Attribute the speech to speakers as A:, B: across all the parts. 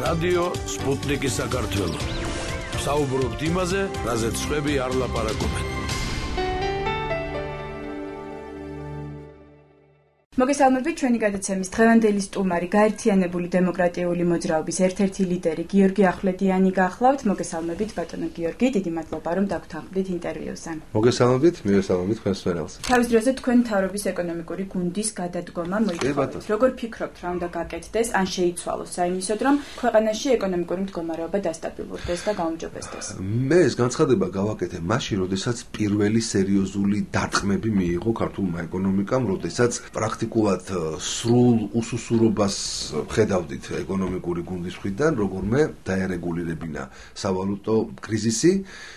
A: რადიო სპუტნიკი საქართველო. საუბრობთ იმაზე, რაზეც სხვები არ ლაპარაკობენ.
B: მოგესალმებით ჩვენი გადაცემის დღევანდელი სტუმარი გაერთიანებული დემოკრატიული მოძრაობის ერთ-ერთი ლიდერი გიორგი ახვლედიანი გახლავთ. მოგესალმებით ბატონო გიორგი, დიდი მადლობა რომ დაგვრთახდით ინტერვიუზე.
C: მოგესალმებით, მივესალმებით თქვენს მწერალს.
B: თავის დროზე თქვენ მთავრობის ეკონომიკური გუნდის გადადგომა მოითხოვეთ. როგორ ფიქრობთ, რა უნდა გაკეთდეს, ან შეიცვალოს საიმისოდ, რომ ქვეყანაში ეკონომიკური მდგომარეობა დასტაბილურდეს და გაუმჯობესდეს?
C: მე ეს განცხადება გავაკეთე მაშინ, როდესაც პირველი სერიოზული დარტყმები მიიღო ქართულმა ეკონომიკამ, როდესაც პრაქტიკულად სრულ უსუსურობას ხედავდით ეკონომიკური გუნდის მხრიდან, როგორმე დაერეგულირებინა სავალუტო კრიზისი,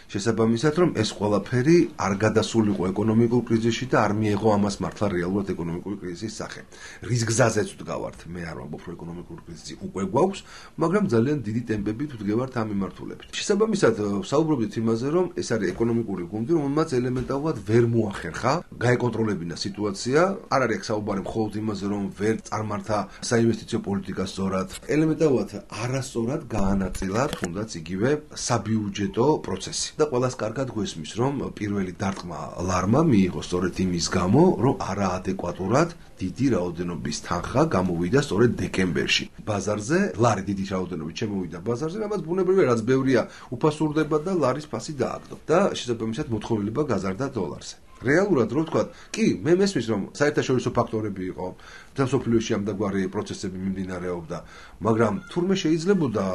C: შესაბამისად, რომ ეს ყველაფერი არ გადასულიყო ეკონომიკურ კრიზისში და არ მიეღო ამას მართლა რეალურად ეკონომიკური კრიზისის სახე. რის გზაზეც ვდგავართ, მე არ ვამბობ, რომ ეკონომიკური კრიზისი უკვე გვაქვს, მაგრამ ძალიან დიდი ტემპებით ვდგევართ ამ მიმართულებით. შესაბამისად, საუბრობთ იმაზე, რომ ეს არის ეკონომიკური გუნდი, რომელმაც ელემენტარულად ვერ მოახერხა გაეკონტროლებინა სიტუაცია, არ არის საუბარი მხოლოდ იმაზე, რომ ვერ წარმართა საინვესტიციო პოლიტიკა სწორად, ელემენტარულად არასწორად გაანაწილა თუნდაც იგივე საბიუჯეტო პროცესი. და ყველას კარგად გვესმის, რომ პირველი დარტყმა ლარმა მიიღო სწორედ იმის გამო, რომ არაადეკვატურად დიდი რაოდენობის თანხა გამოვიდა სწორედ დეკემბერში. ბაზარზე ლარი დიდი რაოდენობით შემოვიდა ბაზარზე, რამაც ბუნებრივია, რაც ბევრია უფასურდება და ლარის ფასი დააგდო. და შესაბამისად მოთხოვნილება გაზარდა დოლარზე. რეალურად რო ვთქვათ, კი, მე მესმის, რომ საერთაშორისო ფაქტორები იყო, მსოფლიოში ამდაგვარი პროცესები მიმდინარეობდა, მაგრამ თურმე შეიძლებოდა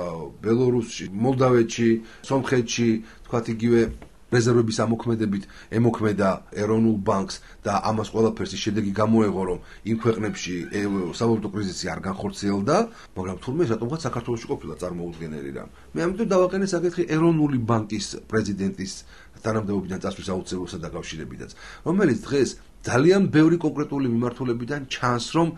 C: ბელორუსში, მოლდავეთში, სომხეთში, თქვათ იგივე რეზერვების ამოქმედებით ემოქმედა ეროვნულ ბანკს და ამას ყველაფერს შედეგი გამოეღო, რომ იმ ქვეყნებში სავალუტო კრიზისი არ განხორციელდა, მაგრამ თურმე რატომღაც საქართველოში ყოფილა წარმოუდგენელი რამ. მე ამიტომ დავაყენე საკითხი ეროვნული ბანკის პრეზიდენტის თანამდებობიდან წასვლის აუცილებლობასთან დაკავშირებითაც, რომელიც დღეს ძალიან ბევრი კონკრეტული მიმართულებიდან ჩანს, რომ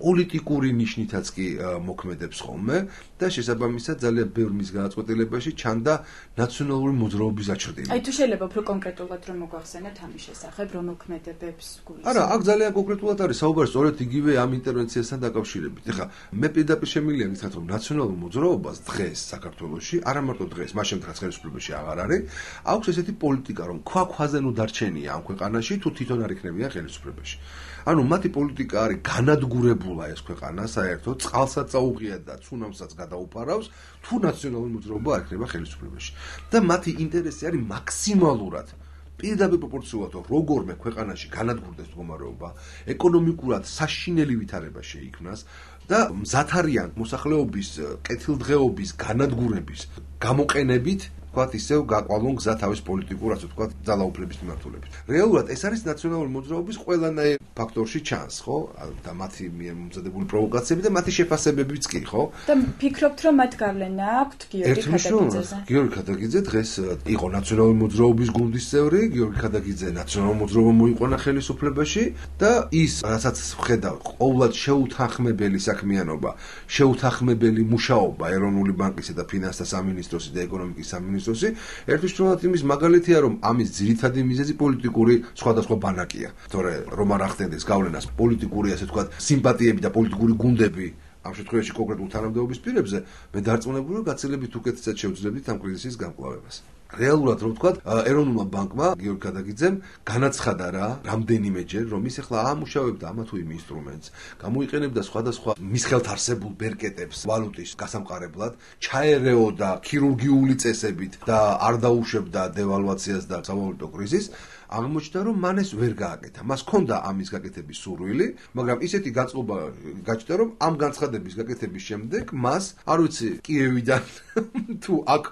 C: პოლიტიკური ნიშნითაც კი მოქმედებს ხოლმე და შესაბამისად ძალიან ბევრ მის გადაწყვეტილებაში ჩანდა ნაციონალური მოძრაობის აჩრდილა.
B: აი თუ შეიძლება უფრო კონკრეტულად რომ მოგვახსენოთ ამის შესახებ, რომ მოქმედებებს გულისხმობთ?
C: არა, აქ ძალიან კონკრეტულად არის საუბარი სწორედ იგივე ამ ინტერვენციასთან დაკავშირებით. ეხლა მე პირდაპირ შემიძლია გითხრათ, რომ ნაციონალურ მოძრაობას დღეს საქართველოში, არა მარტო დღეს, მას შემდგაც ხელისუფლებაში აღარ არის, აქვს ესეთი პოლიტიკა, რომ ქვაქვაზე ნუ დარჩენია ამ ქვეყანაში, თუ თვითონ არ იქნებიან ხელისუფლებაში. ანუ მათი პოლიტიკა არის განადგურებულა ეს ქვეყანა საერთოდ, წყალსაც წაუღია და ცუნამსაც გადაუფარავს, თუ ნაციონალური მოძრაობა არ იქნება ხელისუფლებაში. და მათი ინტერესი არის მაქსიმალურად პირდაპირ პროპორციულად როგორმე ქვეყანაში განადგურდეს მდგომარეობა, ეკონომიკურად საშინელი ვითარება შეიქმნას და მზად არიან მოსახლეობის კეთილდღეობის განადგურების გამოყენებით თქვათ ისევ გაყვალონ გზა თავის პოლიტიკურ, ასე ვთქვათ, ძალაუფლების მიმართულებით. რეალურად ეს არის ნაციონალური მოძრაობის ყველანაირ ფაქტორში ჩანს, ხო? და მათი მომზადებული პროვოკაციები და მათი შეფასებებიც კი, ხო?
B: და ფიქრობთ, რომ მათ გავლენა აქვთ გიორგი ქადაგიძეზე?
C: გიორგი ქადაგიძე დღეს იყო ნაციონალური მოძრაობის გუნდის წევრი, გიორგი ქადაგიძე ნაციონალური მოძრაობა მოიყვანა ხელისუფლებაში და ის, რასაც ვხედავ, ყოვლად შეუთანხმებელი საქმიანობა, შეუთანხმებელი მუშაობა ეროვნული ბანკისა და ფინანსთა სამინისტროსი და ეკონომიკის სამინისტროსი ერთუშრომად იმის მაგალითია, რომ ამის ძირითადი მიზეზი პოლიტიკური სხვადასხვა ბანაკია. თორე რომ არ ახდენდეს გავლენას პოლიტიკური, ასე ვთქვათ, სიმპათიები და პოლიტიკური გუნდები ამ შემთხვევაში კონკრეტულ თანამდებობის პირებზე, მე დარწმუნებული ვარ, გაცილებით უკეთესად შევძლებდით ამ კრიზისის გამკლავებას. რეალურად რომ ვთქვათ, ეროვნულმა ბანკმა გიორგი ქადაგიძემ განაცხადა რამდენიმეჯერ, რომ ის ახლა ამუშავებდა ამა თუ იმ ინსტრუმენტს, გამოიყენებდა სხვადასხვა მის ხელთ არსებულ ბერკეტებს ვალუტის გასამყარებლად, ჩაერეოდა ქირურგიული წესებით და არ დაუშვებდა დევალვაციას და სავალუტო კრიზისს. აღმოჩნდა, რომ მან ეს ვერ გააკეთა. მას ჰქონდა ამის გაკეთების სურვილი, მაგრამ ისეთი გაწობა გაჩნდა, რომ ამ განცხადების გაკეთების შემდეგ მას, არ ვიცი, კიევიდან თუ აქ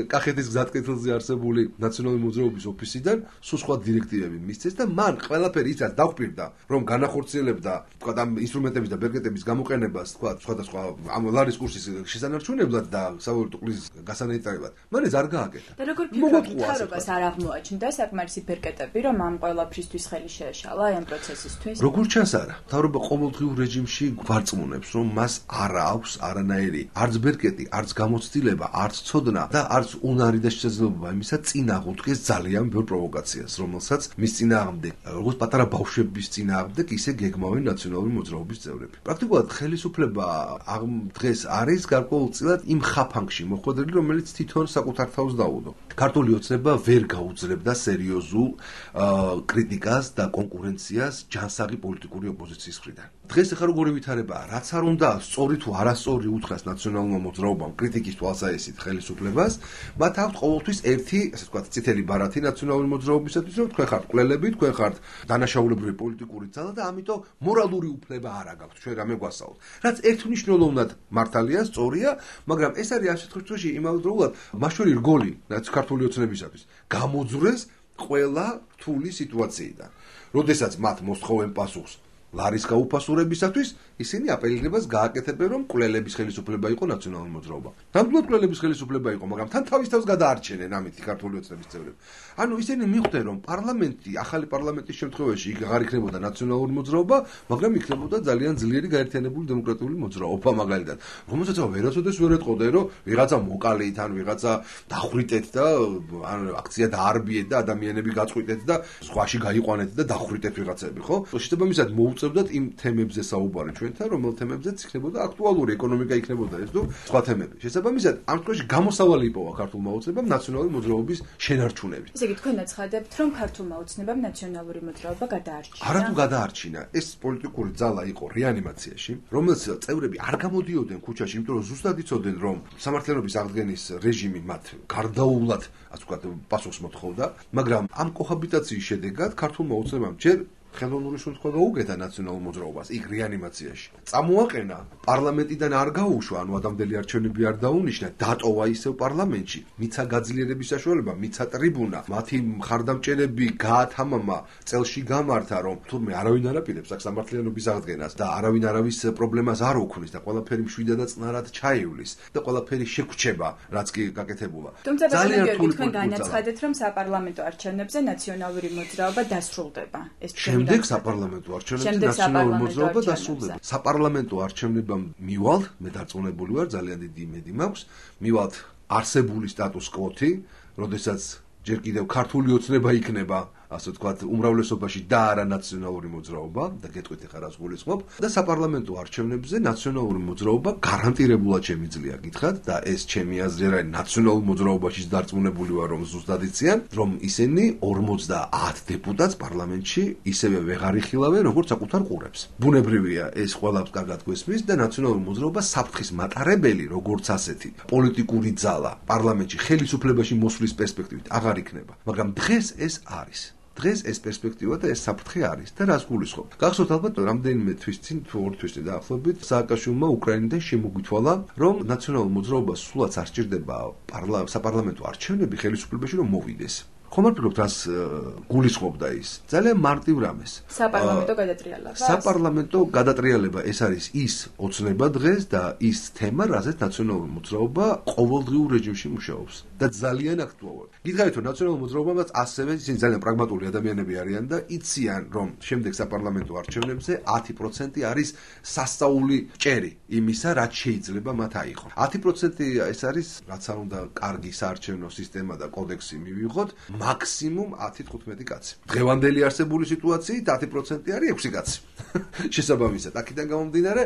C: კახეთის გზატკეცილზე არსებული ნაციონალური მოძრაობის ოფისიდან სულ სხვა დირექტივები მისცეს და მან ყველაფერი ისაც დაგვპირდა, რომ განახორციელებდა, თქვათ, ამ ინსტრუმენტების და ბერკეტების გამოყენებას, თქვათ, სხვადასხვა ამ ლარის კურსის შესანარჩუნებლად და სავალუტო კრიზისის გასანეიტარებლად. მან ეს არ გააკეთა.
B: და როგორ ფიქრობთ, თარობას არ აღმოაჩნდა საკმარისი ბერკეტები, რომ ამ ყველაფრისთვის ხელი შეეშალა ამ პროცესისთვის?
C: როგორც ჩანს არა, მთავრობა ყოველდღიურ რეჟიმში გვარწმუნებს, რომ მას არ აქვს არანაირი არც ბერკეტი, არც გამოცდილება, არც ცოდნა და არც უნარი და შესაძლებლობა იმისა წინ აღუდგეს ძალიან ბევრ პროვოკაციას, რომელსაც მის წინააღმდეგ, როგორც პატარა ბავშვების წინააღმდეგ, ისე გეგმავენ ნაციონალური მოძრაობის წევრები. პრაქტიკულად ხელისუფლება დღეს არის გარკვეულწილად იმ ხაფანგში მოხვედრილი, რომელიც თვითონ საკუთარ თავს დაუდო. ქართული ოცნება ვერ გაუძლებდა სერიოზულ კრიტიკას და კონკურენციას ჯანსაღი პოლიტიკური ოპოზიციის მხრიდან. დღეს ახლა როგორი ვითარებაა, რაც არ უნდა სწორი თუ არასწორი უთხრას ნაციონალურმა მოძრაობამ კრიტიკის თვალსაჩინით ხელისუფლებას, მათ აქვთ ყოველთვის ერთი, ასე ვთქვათ, წითელი ბარათი ნაციონალური მოძრაობისათვის, რომ თქვენ ხართ მკვლელები, თქვენ ხართ დანაშაულებრივი პოლიტიკური ძალა და ამიტომ მორალური უფლება არ აქვს ჩვენ რამე გვასწავლოთ. რაც ერთმნიშვნელოვნად მართალია, სწორია, მაგრამ ეს არის ამ შემთხვევაში იმავდროულად მაშველი რგოლი ქართული ოცნებისათვის გამოძვრეს ყველა რთული სიტუაციიდან. როდესაც მათ მოსთხოვენ პასუხს ლარის გაუფასურებისათვის, ისინი აპელირებას გააკეთებენ, რომ მკვლელების ხელისუფლება იყო ნაციონალური მოძრაობა. ნამდვილად მკვლელების ხელისუფლება იყო, მაგრამ თან თავის თავს გადაარჩენენ ამით ქართული ოცნების წევრები. ანუ ისინი მიხვდნენ, რომ პარლამენტი, ახალი პარლამენტის შემთხვევაში იქ აღარ იქნებოდა ნაციონალური მოძრაობა, მაგრამ იქნებოდა ძალიან ძლიერი გაერთიანებული დემოკრატიული მოძრაობა მაგალითად. რომელსაც ვერაცოდეს ვერ ეტყოდა, რომ ვიღაცა მოკალით ან ვიღაცა დახვრიტეთ და ან აქცია დაარბიეთ და ადამიანები გაწყვიტეთ და სხვაში გაიყვანეთ და დახვრიტეთ ვიღაცები, ხო? შესაბამისად მოუწევდათ იმ თემებზე საუბარი ჩვენთან, რომელ თემებზეც იქნებოდა აქტუალური ეკონომიკა იქნებოდა ეს თუ სხვა თემები. შესაბამისად, ამ შემთხვევაში გამოსავალი იპოვა ქართულმა ოცნებამ ნაციონალური მოძრაობის შენარჩუნებით.
B: ესე იგი, თქვენ აცხადებთ, რომ ქართულმა ოცნებამ ნაციონალური მოძრაობა გადაარჩინა.
C: არათუ გადაარჩინა, ეს პოლიტიკური ძალა იყო რეანიმაციაში, რომელსაც წევრები არ გამოდიოდნენ ქუჩაში, იმიტომ რომ ზუსტად იცოდნენ, რომ სამართლიანობის აღდგენის რეჟიმი მათ გარდაუვლად, ასე ვთქვათ, პასუხს მოთხოვდა, მაგრამ ამ კოჰაბიტაციის შედეგად ქართულმა ოცნებამ ჯერ ხელოვნური შემთხვევა გაუგეთა ნაციონალურ მოძრაობას იქ რეანიმაციაში. წამოაყენა პარლამენტიდან არ გაუშვა, ანუ ადამიანელი არჩევნები არ დაუნიშნა, დატოვა ისევ პარლამენტში, მიცა გაძლიერების საშუალება, მიცა ტრიბუნა, მათი მხარდამჭერები გაათამამა, წელში გამართა, რომ თურმე არავინ არ აპირებს აქ სამართლიანობის აღდგენას და არავინ არავის პრობლემას არ უქმნის და ყველაფერი მშვიდად და წნარად ჩაივლის და ყველაფერი შეგვჩება, რაც კი გაკეთებულა.
B: თუმცა თქვენ განაცხადეთ, რომ საპარლამენტო არჩევნებზე ნაციონალური მოძრაობა დასრულდება. ეს
C: შემდეგ საპარლამენტო არჩევნებზე ნაციონალური მოძრაობა დასრულდება. საპარლამენტო არჩევნებამ მივალ, მე დარწმუნებული ვარ, ძალიან დიდი იმედი მაქვს, მივალ არსებული სტატუს კვოთი, როდესაც ჯერ კიდევ ქართული ოცნება იქნება, ასე ვთქვათ, უმრავლესობაში და არა ნაციონალური მოძრაობა და გეტყვით ახლა რას გულისხმობ და საპარლამენტო არჩევნებზე ნაციონალური მოძრაობა გარანტირებულად შემიძლია გითხრათ და ეს ჩემი აზრი არის ნაციონალურ მოძრაობაშიც დარწმუნებული ვარ რომ ზუსტად იციან რომ ისინი 50 დეპუტატს პარლამენტში ისევე ვეღარ იხილავენ როგორც საკუთარ ყურებს. ბუნებრივია ეს ყველაფერს კარგად გვესმის და ნაციონალური მოძრაობა საფრთხის მატარებელი როგორც ასეთი პოლიტიკური ძალა პარლამენტში ხელისუფლებაში მოსვლის პერსპექტივით აღარ იქნება, მაგრამ დღეს ეს არის. დღეს ეს პერსპექტივა და ეს საფრთხე არის და რას გულისხმობ? გახსოვთ ალბათ რამდენიმე თვის წინ თუ 2 თვის წინ დაახლოებით სააკაშვილმა უკრაინიდან შემოგვითვალა, რომ ნაციონალურ მოძრაობას სულაც არ სჭირდება საპარლამენტო არჩევნები ხელისუფლებაში რომ მოვიდეს. ხომ არ ფიქრობთ რას გულისხმობდა ის? ძალიან მარტივ რამეს.
B: საპარლამენტო გადატრიალება.
C: საპარლამენტო გადატრიალება ეს არის ის ოცნება დღეს და ის თემა, რაზეც ნაციონალური მოძრაობა ყოველდღიურ რეჟიმში მუშაობს და ძალიან აქტუალურია. გითხარით რომ ნაციონალური მოძრაობაც ასევე ისინი ძალიან პრაგმატული ადამიანები არიან და იციან რომ შემდეგ საპარლამენტო არჩევნებზე 10% არის სასწაული ჭერი იმისა, რაც შეიძლება მათ აიღონ. 10% ეს არის რაც არ უნდა კარგი საარჩევნო სისტემა და კოდექსი მივიღოთ. მაქსიმუმ 10-15 კაცი. დღევანდელი არსებული სიტუაციით 10% არის 6 კაცი. შესაბამისად, აქედან გამომდინარე,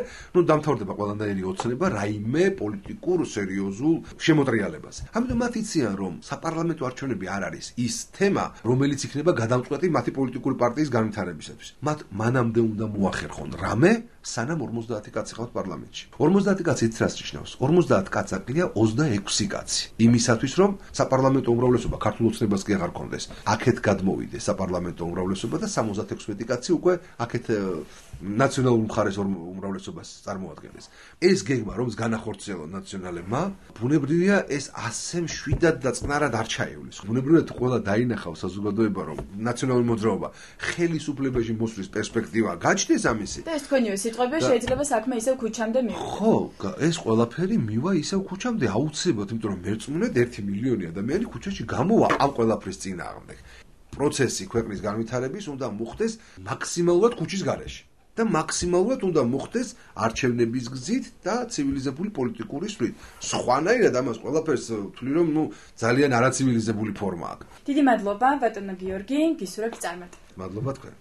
C: დამთავრდება ყველანაირი ოცნება რაიმე პოლიტიკურ სერიოზულ შემოტრიალებაზე. ამიტომ მათ იციან, რომ საპარლამენტო არჩევნები არ არის ის თემა, რომელიც იქნება გადამწყვეტი მათი პოლიტიკური პარტიის განვითარებისათვის. მათ მანამდე უნდა მოახერხონ რამე, სანამ 50 კაცი ხავთ პარლამენტში. 50 კაცი იცით რას ნიშნავს? 50 კაცი აკლია 26 კაცი. იმისათვის, რომ საპარლამენტო უმრავლესობა ქართულ ოცნებას კი აღარ კონდეს. აქეთ გადმოვიდეს საპარლამენტო უმრავლესობა და 76 კაცი უკვე აქეთ ნაციონალურ მხარეს უმრავლესობას წარმოადგენდეს. ეს გეგმა, რომელს განახორციელონ ნაციონალებმა, ბუნებრივია ეს ასე მშვიდად და წნარად არ ჩაივლის. ბუნებრივია თუ ყველა დაინახავს საზოგადოება, რომ ნაციონალური მოძრაობა ხელისუფლებაში მოსვლის პერსპექტივა გაჩნდეს ამისი.
B: და ეს თქვენივე სიტყვები შეიძლება საქმე ისევ ქუჩამდე მივიდეს.
C: ხო, ეს ყველაფერი მივა ისევ ქუჩამდე აუცილებლად, იმიტომ რომ მერწმუნედ 1 მილიონი ადამიანი ქუჩაში გამოვა ამ ყველაფრის წინააღმდეგ. პროცესი ქვეყნის განვითარების უნდა მოხდეს მაქსიმალურად ქუჩის გარეშე და მაქსიმალურად უნდა მოხდეს არჩევნების გზით და ცივილიზებული პოლიტიკური სვლით. სხვანაირად ამას ყველაფერს ვთვლი, რომ ძალიან არაცივილიზებული ფორმა აქვს.
B: დიდი მადლობა ბატონო გიორგი, გისურვებთ წარმატება.
C: მადლობა თქვენ.